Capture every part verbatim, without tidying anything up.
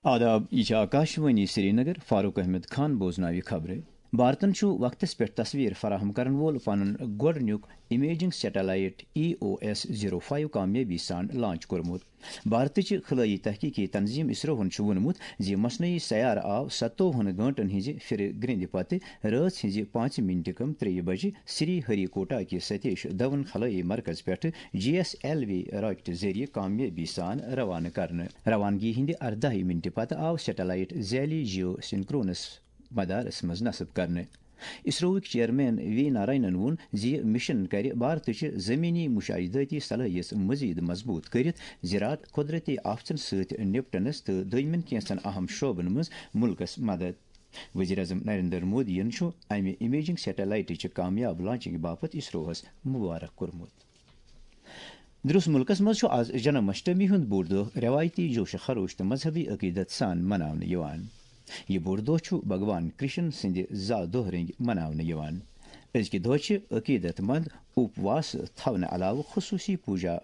آداب، یہِ چھِ آکاشوانی سرینگر۔ فاروق احمد خان بوزناوِ خبرٕ۔ بھارتن چھُ وقتس پٮ۪ٹھ تصویر فراہم کرن وول پنُن گۄڈٕنیُک امیجنگ سیٹلائٹ ای او ایس زیرو فائیو کامیٲبی سان لانچ کوٚرمُت۔ بھارتٕچ خلٲیی تحقیقی تنظیم اسروہن چھُ ووٚنمُت زِ مصنوعی سیارٕ آو ستووُہن گٲنٹن ہٕنٛزِ پھِرِ گرٛنٛدِ پتہٕ رٲژ ہٕنٛزِ پانٛژِ منٹہِ کم ترٛیٚیہِ بجہِ سری ہری کوٹا کہِ ستیش دھون خلٲیی مرکز پٮ۪ٹھٕ جی ایس ایل وی راکٹہٕ ذٔریعہٕ کامیٲبی سان روانہٕ کرنہٕ۔ روانگی ہٕنٛدِ ارداہہِ منٹہِ پتہٕ آو سیٹلائٹ ذیلی جیو سنکرونس مدارس منٛز نصب کرنہٕ۔ اسروہٕکۍ چیئرمین وی نارائنن ووٚن زِ یہِ مشن کرِ بھارتٕچہِ زمینی مشاہدٲتی صلٲحیت مزید مضبوط کٔرِتھ زِ راتھ قدرتی آفتن سۭتۍ نپٹنس تہٕ دوٚیمٮ۪ن کینٛژن اہم شعبن منٛز ملکس مدد۔ وزیر اعظم نریندر مودیَن چھُ امہِ امیجنگ سیٹلائٹٕچ کامیاب لانچنگ باپتھ اسروہس مبارک کوٚرمُت۔ درس ملکس منٛز چھُ آز جنم اشٹمی ہُنٛد بوٚڑ دۄہ روایتی جوش خروش تہٕ مذہبی عقیدت سان مناونہٕ یِوان۔ یہِ بوٚڑ دۄہ چھُ بھگوان کرشن سٕنٛدِ زا دۄہ رٔنگۍ مناونہٕ یِوان۔ أزکہِ دۄہ چھِ عقیدت مند اپواس تھاونہٕ علاوٕ خصوٗصی پوجا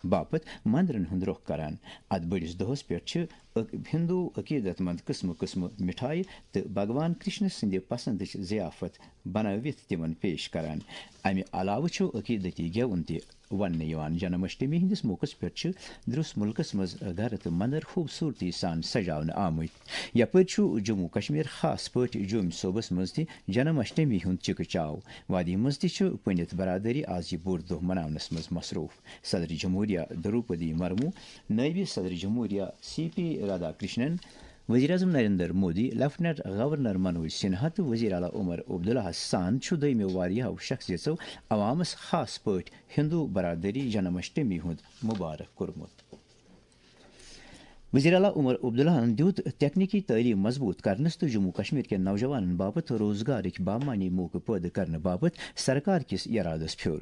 باپتھ مندرن ہُنٛد رۄخ کران۔ اتھ بٔڑِس دۄہس پٮ۪ٹھ چھِ عق-، ہندو عقیدت مند قٕسمہٕ قٕسمہٕ مِٹھایہِ تہٕ بھگوان کرشن سٕنٛدِ پسندٕچ ضیافت بنٲوِتھ تِمن پیش کران۔ امہِ علاوٕ چھُ عقیدتی گٮ۪وُن تہِ وننہٕ یِوان۔ جنم اشٹمی ہٕنٛدِس موقعس پٮ۪ٹھ چھِ درس ملکس منٛز گرٕ تہٕ مندر خوبصورتی سان سجاونہٕ آمٕتۍ۔ یپٲرۍ چھُ جموں کشمیر، خاص پٲٹھۍ جوٚمۍ صوبس منٛز تہِ جنم اشٹمی ہُنٛد چکہٕ چاو۔ وادی منٛز تہِ چھِ پنڈت برادری آز یہِ بوٚڑ دۄہ مناونس منٛز مصروف۔ صدر جمہوریہ دروپدی مرمو، نائب صدر جمہوریہ سی پی رادھا کرشنن، وزیر اعظم نریندر مودی، لیفٹیننٹ گورنر منوج سنہا تہٕ وزیر اعلیٰ عمر عبداللہ سان چھُ دوٚیمہِ واریاہو شخصیژو عوامس، خاص پٲٹھۍ ہندو برادری، جنم اشٹمی ہُنٛد مبارک کوٚرمُت۔ وزیر اعلیٰ عمر عبداللہن دیُت تکنیکی تعلیٖم مضبوٗط کرنس تہٕ جموں کشمیر کٮ۪ن نوجوانن باپتھ روزگارٕکۍ بامعنی موقعہٕ پٲدٕ کرنہٕ باپتھ سرکار کِس ارادس پھیوٚر۔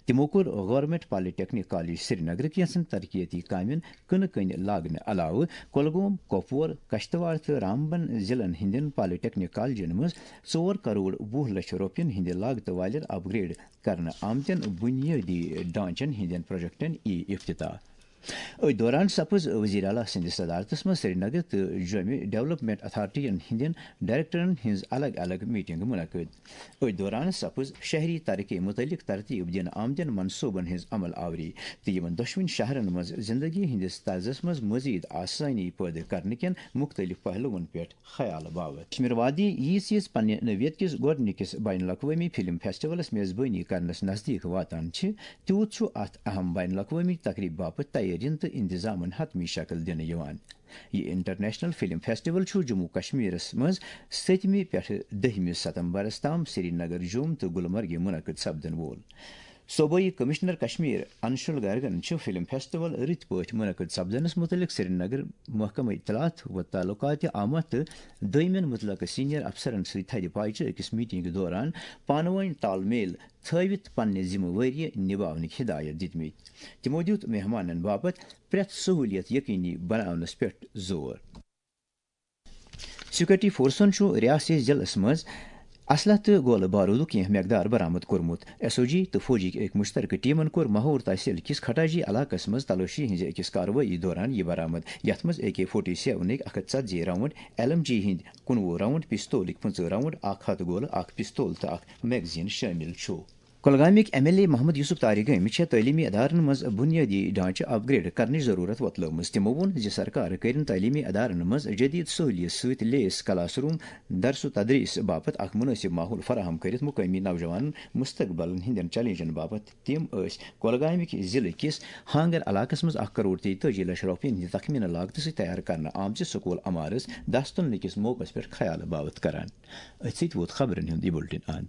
تِمو کوٚر گورنمنٹ پالیٹیکنک کالج سرینگر کینٛژن ترقیتی کامٮ۪ن کٕنہٕ کٔنۍ لاگنہٕ علاوٕ کۄلگوم، کۄپوور، کشتواڑ تہٕ رامبن ضلعن ہٕنٛدٮ۪ن پالیٹیکنک کالجن منٛز ژور کروڑ وُہ لچھ رۄپین ہٕنٛدِ لاگتہٕ والٮ۪ن اپ گریڈ کرنہٕ آمتٮ۪ن بُنیٲدی ڈھانچن ہٕنٛدٮ۪ن پروجیکٹن یی افتتاح۔ أتھۍ دوران سپٕز وزیر اعلیٰ سٕنٛدِس صدارتس منٛز سرینگر تہٕ جوٚمہِ ڈیولپمنٹ اتھارٹین ہٕنٛدٮ۪ن ڈائریکٹرن ہٕنٛز الگ الگ میٹنگ منعقد۔ أتھۍ دوران سپٕز شہری ترقی متعلق ترتیب دِنہٕ آمتٮ۪ن منصوبن ہٕنٛز عمل آوری تہٕ یِمن دۄشوٕنی شہرن منٛز زندگی ہٕنٛدِس طرزس منٛز مزید آسٲنی پٲدٕ کرنہٕ کٮ۪ن مختلف پہلوَن پٮ۪ٹھ خیال باوت۔ کشمیر وادی ییٖژ ییٖژ پننہِ نوعیت کِس گۄڈٕنِکِس بین الاقوٲمی فلم فیسٹیولس میزبٲنی کرنس نزدیٖک واتان چھِ، تیوٗت چھُ اتھ اہم بین الاقوٲمی تقریب باپتھ تیٲرین تہٕ انتظامن حتمی شکل دِنہٕ یِوان۔ یہِ انٹرنیشنل فلم فیسٹیول چھُ جموں کشمیرس منٛز سٔتمہِ پٮ۪ٹھٕ دٔہمہِ ستمبرس تام سرینگر، جوٚم تہٕ گلمرگہِ منعقد سپدن وول۔ صوبٲئی کمشنر کشمیر انشول گرگن چھُ فلم فیسٹیول رٕتۍ پٲٹھۍ منعقد سپدنس متعلق سرینگر محکمہ اطلاعات و تعلقات آمد تہٕ دوٚیمٮ۪ن متعلقہٕ سینئر افسرن سۭتۍ تھدِ پایہِ چہِ أکِس میٹنگ دوران پانہٕ وٲنۍ تال میل تھٲوِتھ پننہِ ذمہٕ وٲری نباونٕکۍ ہدایت دِتمٕتۍ۔ تِمو دیُت مہمانن باپتھ پرٛٮ۪تھ سہوٗلیت یقینی بناونس پٮ۪ٹھ زور۔ سیکورٹی فورسن چھُ ریاستی ضلعس منٛز اسلحہ تہٕ گولہٕ بارودُک کینٛہہ مقدار برآمد کوٚرمُت۔ ایس او جی تہٕ فوجٕکۍ أکۍ مشترکہٕ ٹیمن کوٚر ماہور تحصیل کِس کھٹاجی علاقس منٛز تلٲشی ہٕنٛزِ أکِس کاروٲیی دوران یہِ برآمد، یتھ منٛز اے کے فورٹی سیونٕکۍ اکھ ہتھ ژتجی راؤنڈ، ایل ایم جی ہٕنٛدۍ کُنوُہ راؤنڈ، پستولٕکۍ پٕنٛژٕہ راؤنڈ، اکھ ہتھ گولہٕ، اکھ پستول تہٕ اکھ میگزین شٲمِل چھُ۔ کۄلگامٕکۍ M L A Mohammad Yousuf Tarigami چھےٚ تعلیمی ادارن منٛز بنیٲدی ڈھانچہٕ اپ گریڈ کرنٕچ ضرورت وۄتلٲومٕژ۔ تِمو ووٚن زِ سرکار کٔرِن تعلیمی ادارن منٛز جدید سہولیت سۭتۍ لیس کلاس روم، درس و تدریس باپتھ اکھ مناسب ماحول فراہم کٔرِتھ مقٲمی نوجوانن مستقبلن ہٕنٛدٮ۪ن چیلنجن باپتھ۔ تِم ٲسۍ کۄلگامٕکۍ ضلعہٕ کِس ہانگر علاقس منٛز اکھ کرور تیتٲجی لچھ رۄپین ہٕنٛدِ تخمینہٕ لاگتہٕ سۭتۍ تیار کرنہٕ آمژِ سکول عمارس دستُن کِس موقعس پٮ۪ٹھ خیال باوت کران۔ أتھۍ سۭتۍ ووت خبرن ہُنٛد یہِ بُلٹن اند۔